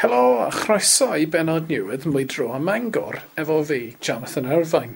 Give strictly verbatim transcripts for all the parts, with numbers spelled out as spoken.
Helo a chroeso i bennod newydd Mwydro ym Mangor efo fi, Jonathan Irvine.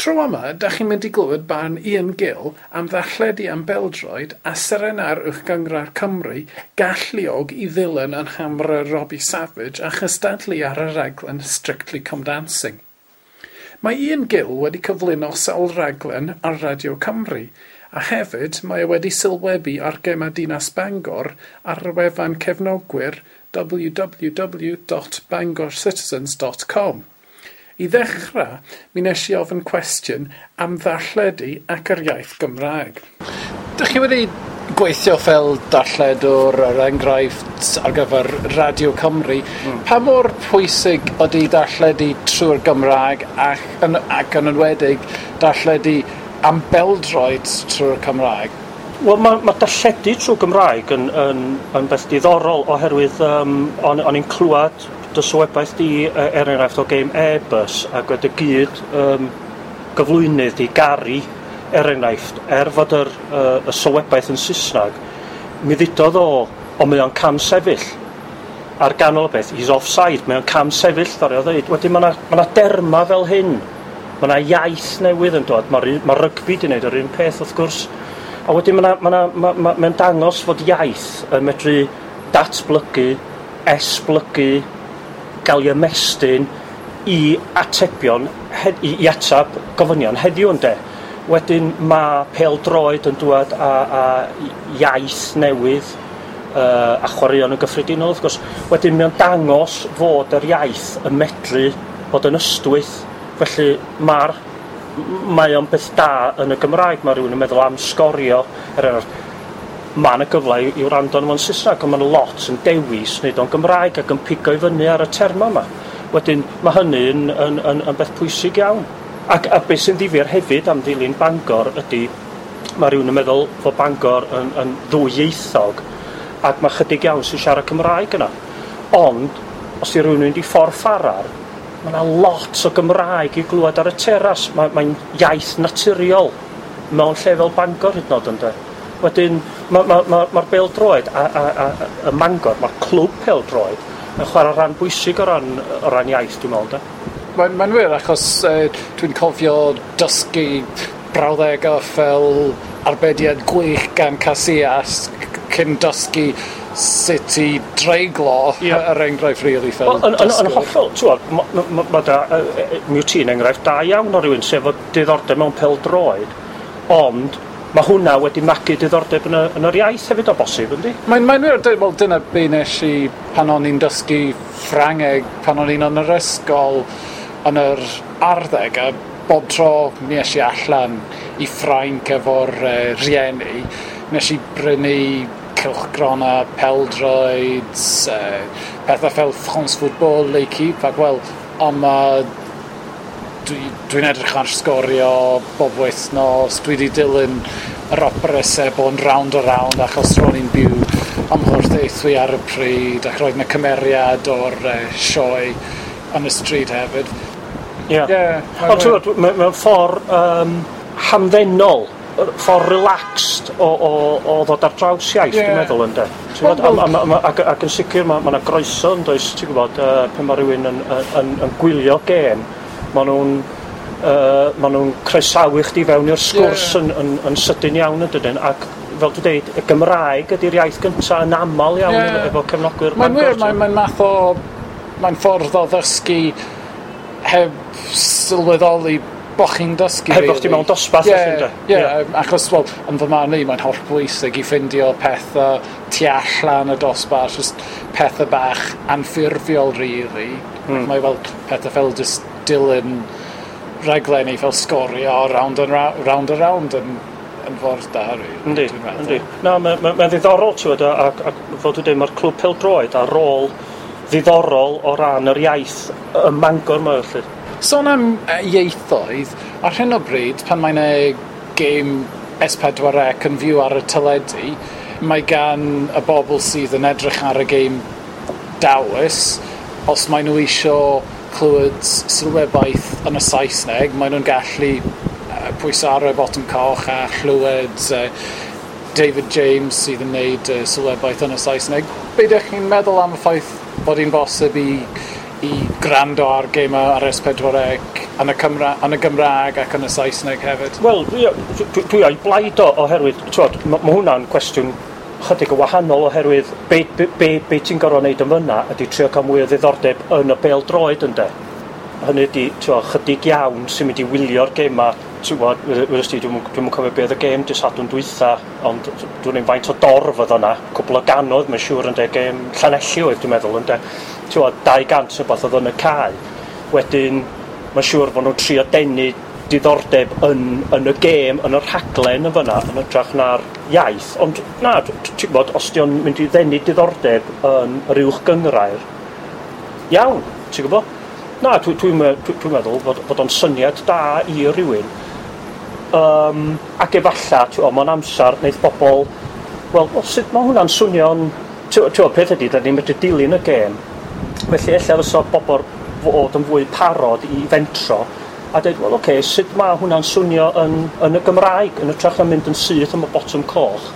Tro yma, da chi'n mynd i glywed barn Ian Gill am ddarlledu am beldroed a serenau'r Uwchgynghrair Cymru galluog i ddilyn yn hamra Robbie Savage a chystadlu ar y raglen Strictly Come Dancing. Mae Ian Gill wedi cyflwyno sawl raglen ar Radio Cymru, a hefyd mae e wedi sylwebu ar gemau Dinas Bangor ar y wefan cefnogwyr w w w dot bangorcitizens dot com. I ddechrau, mi nes i ofyn cwestiwn am ddarlledu ac yr iaith Gymraeg. Dych chi wedi gweithio fel darlledwr, er enghraifft, ar gyfer Radio Cymru. Mm. Pa mor pwysig ydy darlledu trwy'r Gymraeg ac yn, ac yn enwedig darlledu am beldroed trwy'r Cymraeg? Wel, mae ma darlledu trwy Gymraeg yn, yn, yn beth diddorol oherwydd um, o'n, o'n i'n clywed dy sylwebaeth di, er enghraifft, o game Airbus ac wedi gyd um, gyflwynydd i Gary, er enghraifft, er fod yr, uh, y sylwebaeth yn Saesneg, mi ddudodd o, o mae o'n cam sefyll ar ganol y beth, "He's offside, mae o'n cam sefyll," ddaru o ddeud. Wedyn mae yna ma derma fel hyn, mae yna iaith newydd yn dod, mae ma rygbi di wneud yr un peth wrth gwrs. A wedyn mae'n ma, ma, ma, ma dangos fod iaith yn medru datblygu, esblygu, gael ei ymestyn i atebion, i, i atab gofynion heddiw, ynde. Wedyn mae pêl-droed yn dŵad â, â iaith newydd uh, a chwaraeon yn gyffredinol, wrth gwrs. Wedyn mae'n dangos fod yr iaith yn medru bod yn ystwyth. Felly mae'r mae o'n beth da yn y Gymraeg. Mae rhywun yn meddwl am Sgorio. Er enghraifft, mae yna gyfle i, i wrando arno fo'n Saesneg, ond mae yna lot yn dewis wneud o'n Gymraeg ac yn pigo i fyny ar y terma yma. Wedyn mae hynny yn, yn, yn, yn beth pwysig iawn. Ac a beth sy'n ddifyr hefyd am ddilyn Bangor ydy, mae rhywun yn meddwl fod Bangor yn, yn ddwyieithog ac mae chydig iawn sy'n siarad Cymraeg yna. Ond, os di rhywun yn mynd i Ffordd Ffarar, mae yna lot o Gymraeg i glywed ar y teras. Mae'n mae iaith naturiol mewn lle fel Bangor hyd yn oed, ynde. Wedyn, mae'r ma, ma, ma bêl-droed a, a, a, a, Mangor, mae'r clwb pêl-droed yn chwarae rhan bwysig o ran, o ran iaith, dwi'n meddwl, de. Mae'n mae wir, achos uh, dwi'n cofio dysgu brawddegau fel "arbediad gwych gan Casillas" cyn dysgu sut i dreiglo, yeah. er enghraifft, really, fel Wel, yn, yn, yn hollol, ti'n ma, ma, ma da, mi wyt ti'n enghraifft da iawn o rywun sef o diddordeb mewn pêl-droed, ond mae hwnna wedi magu diddordeb yn, y, yn yr iaith hefyd o bosib, yndi? Mae'n mae wir, wel, dyna be nes i pan o'n i'n dysgu Ffrangeg, pan o'n i'n yn yr ysgol yn yr arddeg, a bob tro mi es i allan i Ffrainc efo'r uh, rhieni, nes i brynu cylchgrona peldroed, uh, pethau fel France Football, L'Equipe, ac wel, ond ma dwi'n dwi edrych ar Sgorio bob wythnos, dwi wedi dilyn yr opera sebon Rownd a Rownd achos ro'n i'n byw ym Mhorthaethwy ar y pryd ac roedd yna cymeriad o'r uh, sioe yn y stryd hefyd. Ie. Yeah. Yeah, ond ti'n gwybod, mewn ffordd um, hamddenol, ffordd relaxed o, o, o ddod ar draws iaith, yeah. dwi'n meddwl, ynde. Ti'n gwybod, a, a, a, ac, ac yn sicr mae ma yna groeso, yn does, ti'n gwybod, uh, pan mae rhywun yn, yn, yn, yn gwylio gêm, maen nhw'n uh, ma nhw'n croesawu chdi fewn i'r sgwrs yeah. yn, yn, yn sydyn iawn, yn dydyn, ac fel dwi'n deud, y Gymraeg ydy'r iaith gyntaf yn aml iawn yeah. efo cefnogwyr. Mae'n wir, mae'n mae math o... Mae'n ffordd o ddysgu heb sylweddoli bo chi'n dysgu. Heb bo chdi mewn dosbarth. Ie, yeah, yeah, yeah. Achos, wel, yn fy marn i, mae'n holl bwysig i ffindio pethau tu allan y dosbarth, just pethau bach anffurfiol, really. Mm. Mae fel pethau fel just dilyn rhaglenni fel Sgorio, Round and Round, Round and Round yn, yn ffordd da, really. Yndi, yndi. Na, mae'n ma, ma ddiddorol, ti'n gwybod, ac, ac fel dwi'n dweud, mae'r clwb pêl-droed ar rôl ddiddorol o ran yr iaith ym Mangor yma, felly. Sôn am ieithoedd, ar hyn o bryd, pan mae'n e gêm S pedwar C yn fyw ar y teledu, mae gan y bobl sydd yn edrych ar y gêm dawis, os maen nhw isio clywed sylwebaeth yn y Saesneg, maen nhw'n gallu uh, pwyso ar y botwm coch a chlywed uh, David James sydd yn neud uh, sylwebaeth yn y Saesneg. Be ydych chi'n meddwl am y ffaith bod hi'n bosib i, i gwrando ar gemau ar S pedwar C yn y, Cymra yn y Gymraeg ac yn y Saesneg hefyd? Wel, dwi, dwi, dwi o'i blaid o oherwydd, t'wod, ma, ma hwnna'n cwestiwn chydig o wahanol oherwydd be, be, be, be ti'n gorfod wneud yn fyna ydy trio cael mwy o ddiddordeb yn y bêl-droed ynde. Hynny ydy, t'wod, chydig iawn sy'n mynd i wylio'r gema, t'wod, wyddost ti, dwi'm dwi'm yn cofio be oedd y gêm dydd Sadwrn dwytha, ond dwi'n ein faint o dorf oedd yna, cwpl o gannoedd, mae'n siŵr ynde, gêm Llanelli oedd dwi'n meddwl ynde, t'wod, dau gant neu beth oedd yn y cae. Wedyn, mae'n siŵr fod nhw'n trio denu diddordeb yn, yn y gêm, yn y rhaglen yn fyna, yn hytrach na'r iaith. Ond na, ti'n gwybod, os di o'n mynd i ddenu diddordeb yn yr uwch gynghrair, iawn, ti'n gwybod? Na, dwi'n dwi, dwi, dwi, dwi meddwl fod, fod o'n syniad da i rywun. Um, ac efalla, ti'n gwybod, mewn amser, wneith bobl, wel, well, sut mae hwnna'n swnio'n... Ti'n gwybod, peth ydy, da ni'n medru dilyn y gêm. Felly, ella fysa bobl fod yn fwy parod i fentro a dweud, wel, oce, okay, sut mae hwnna'n swnio yn, yn y Gymraeg, yn hytrach na mynd yn syth am y botwm coch,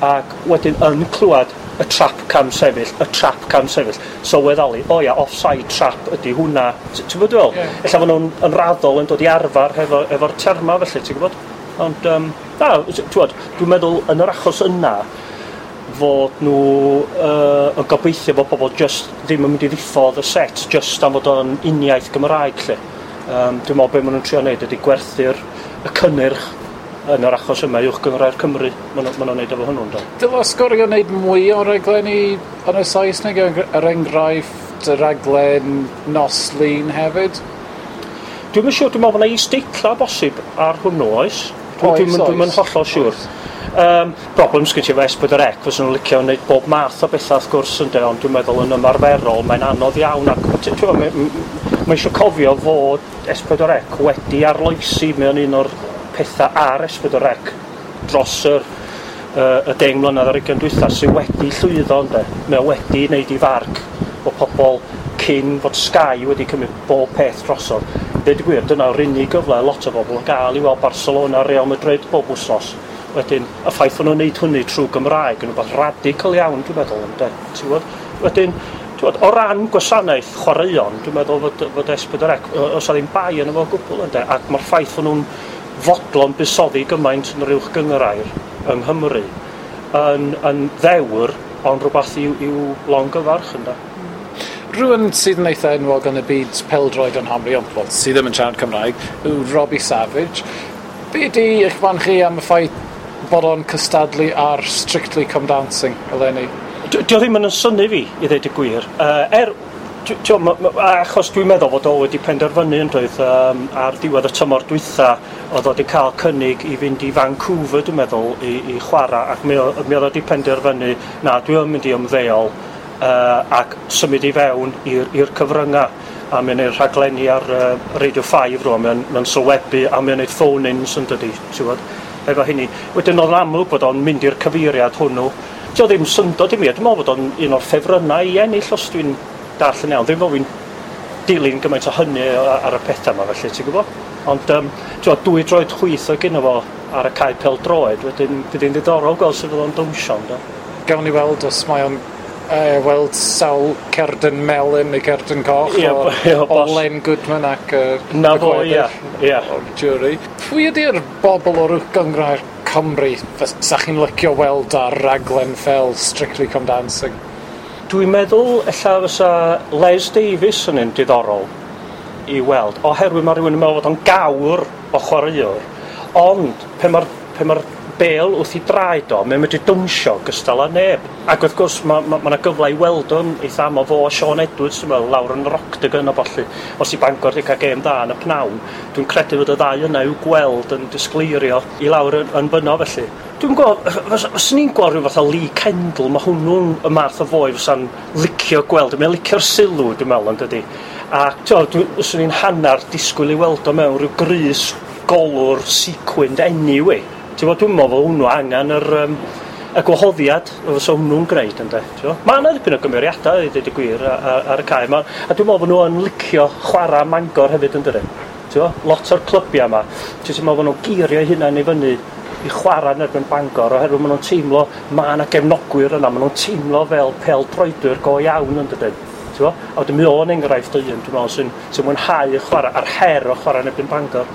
ac wedyn yn clywed y trap cam sefyll, y trap cam sefyll, sylweddoli, o ia, offside trap ydy hwnna, ti'n gwybod dwi'n fel? Yeah. Ella fod nhw'n yn raddol yn dod i arfer hefo, efo'r terma felly, ti'n gwybod? Ond, um, na, ti'n gwybod, dwi'n meddwl yn yr achos yna, fod nhw uh, yn gobeithio bod pobl just ddim yn mynd i ddiffodd y set just am fod o'n uniaith Gymraeg lle. Um, dwi'n meddwl be maen nhw'n trio wneud ydy gwerthu'r y cynnyrch yn yr achos yma uwch gynghrair Cymru. Maen nhw'n wneud efo hwnnw, ynddo. Dyle Sgorio wneud mwy o raglenni yn y Saesneg, er enghraifft y raglen Nos Lun hefyd? Dwi'm yn siŵr, dwi'n meddwl bod yna is-deitla bosib ar hwnnw, oes? Oes, Dwi'm oes. Dwi'm yn hollol siŵr. Um, problem sgyn ti efo S pedwar C, fysa nhw'n licio wneud bob math o bethau wrth gwrs ynde, ond dwi'n meddwl yn ymarferol mae'n anodd iawn ac ti'n gwbod, mae, mae eisiau cofio fod S pedwar C wedi arloesi mewn un o'r pethau ar S pedwar C dros yr, uh, y deng mlynedd ar ugain dwytha sydd wedi llwyddo ynde. Mae o wedi wneud i farc o pobl cyn fod Sky wedi cymryd bob peth drosodd. Deud y gwir, dyna'r unig gyfle lot o bobl yn gael i weld Barcelona, Real Madrid bob wythnos. Wedyn, y ffaith fod nhw'n neud hynny trwy Gymraeg yn rhywbeth radical iawn, dwi'n meddwl, ynde. Ti'n gwybod? Wedyn, ti'n gwybod, o ran gwasanaeth chwaraeon, dwi'n meddwl fod, fod S pedwar C, os ddim bai yn efo gwbl, ynde. Ac mae'r ffaith fod nhw'n fodlon buddsoddi gymaint yn yr uwch gynghrair yng Nghymru yn, yn ddewr, ond rhywbeth i'w, i'w longyfarch, ynde. Rhywun sydd yn eitha enwog yn y byd pêl-droed yn Nghymru, ond well, sydd ddim yn siarad Cymraeg, yw Robbie Savage. Be di eich barn chi am y ffaith bod o'n cystadlu ar Strictly Come Dancing eleni? Dio ddim yn synnu fi, i ddweud y gwir. Uh, er, tio, ma, ma, achos dwi'n meddwl fod o wedi penderfynu yn doedd um, ar diwedd y tymor dwytha oedd o wedi cael cynnig i fynd i Vancouver, dwi'n meddwl, i, i chwarae, ac mi, mi oedd o wedi penderfynu, na, dwi yn mynd i ymddeol uh, ac symud i fewn i'r cyfryngau. A mae'n neud rhaglenni ar uh, Radio five rwan, mae'n mae sylwebu a mae'n neud phone-ins yn dydi, ti'n gwbod, efo hynny. Wedyn oedd yn amlwg bod o'n mynd i'r cyfeiriad hwnnw. Dio ddim syndod i mi, dwi'n meddwl bod o'n un o'r ffefrynnau i ennill os dwi'n darllen iawn. Ddim fel fi'n dilyn gymaint o hynny ar y pethau yma felly, ti'n gwybod? Ond um, ti'n dwy droed chwith o gynno fo ar y cae pêl-droed, wedyn bydd hi'n ddiddorol gweld sut fydd o'n dawnsio, yndo? Gawn ni weld os mae o'n uh, weld sawl cerdyn melyn neu cerdyn coch Ie, o, ie, o bos. Len Goodman ac uh, Na y fo, gweddill ie, ie. o'r jury. Pwy ydy'r bobl o'r uwch gynghrair Cymru sa chi'n licio weld ar raglen fel Strictly Come Dancing? Dwi'n meddwl ella fysa Les Davies yn un diddorol i weld, oherwydd mae rhywun yn meddwl fod o'n gawr o chwaraewr, ond pe mae'r pe mae'r bêl wrth i draed o, mae'n medru dawnsio gystal â neb. Ac wrth gwrs mae ma, ma 'na gyfle i weld o'n eitha aml fo a Sean Edwards, dwi'n meddwl, lawr yn yr Octagon a ballu. Os i Bangor wedi cael gêm dda yn y pnawn, dwi'n credu fod y ddau yna i'w gweld yn disgleirio i lawr yn, yn fyno felly. Dwi'n gweld, fyswn i'n gweld rhyw fath o Lee Kendall, mae hwnnw'n y math o foi fysa'n licio gweld, mae'n licio'r sylw, dwi'n meddwl, yn dydi. A ti'n fyswn i'n hanner disgwyl i weld o mewn rhyw grys golwr sequined anyway. Ti'n gwybod, dwi'n meddwl fod hwnnw angen yr, um, y gwahoddiad fysa hwnnw'n gwneud, ynde. Mae yna ddipyn o gymeriadau, i ddweud y gwir, ar, ar y cae. Ma, a dwi'n meddwl bod nhw yn licio chwarae Mangor hefyd, yn dydyn. Ti'n gwybod, lot o'r clybiau yma, ti'n meddwl bod nhw'n girio eu hunain i fyny i chwarae yn erbyn Bangor, oherwydd maen nhw'n teimlo, mae yna gefnogwyr yna, maen nhw'n teimlo fel pêl-droedwyr go iawn, yn dydyn. Ti'n bo? A wedyn mi o'n enghraifft o un, dwi'n meddwl, sy'n sy mwynhau y chwarae, a'r her o chwarae yn erbyn Bangor.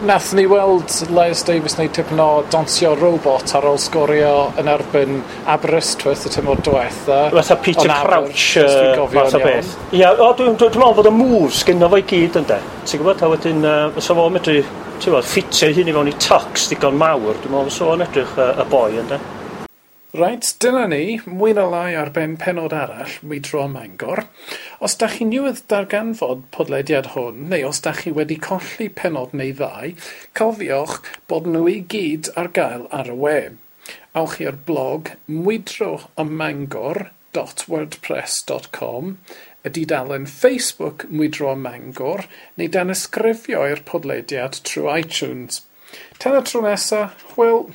Nath ni weld Les Davies neud tipyn o donsio robot ar ôl sgorio yn erbyn Aberystwyth y tymor diwetha. Fatha Peter Ond Aber, Crouch, os dwi'n uh, gofio'n fath o iawn. beth. Ia, o, dwi'n dwi, dwi meddwl fod y moves gynno fo i gyd, ynde. Ti'n gwybod, a wedyn, uh, fysa fo'n medru, ti'n gwybod, ffitio ei hun i fewn i tux digon mawr, dwi'n meddwl fysa fo'n edrych uh, y boi, ynde. Reit, dyna ni, mwy na lai ar ben penod arall, Mwydro Mangor. Os da chi newydd darganfod podlediad hwn, neu os da chi wedi colli penod neu ddau, cofiwch bod nhw i gyd ar gael ar y we. Awch i'r blog mwydroamangor dot wordpress dot com, y dudalen Facebook Mwydro ym Mangor, neu danysgrifio i'r podlediad trwy iTunes. Tan y tro nesa, hwyl!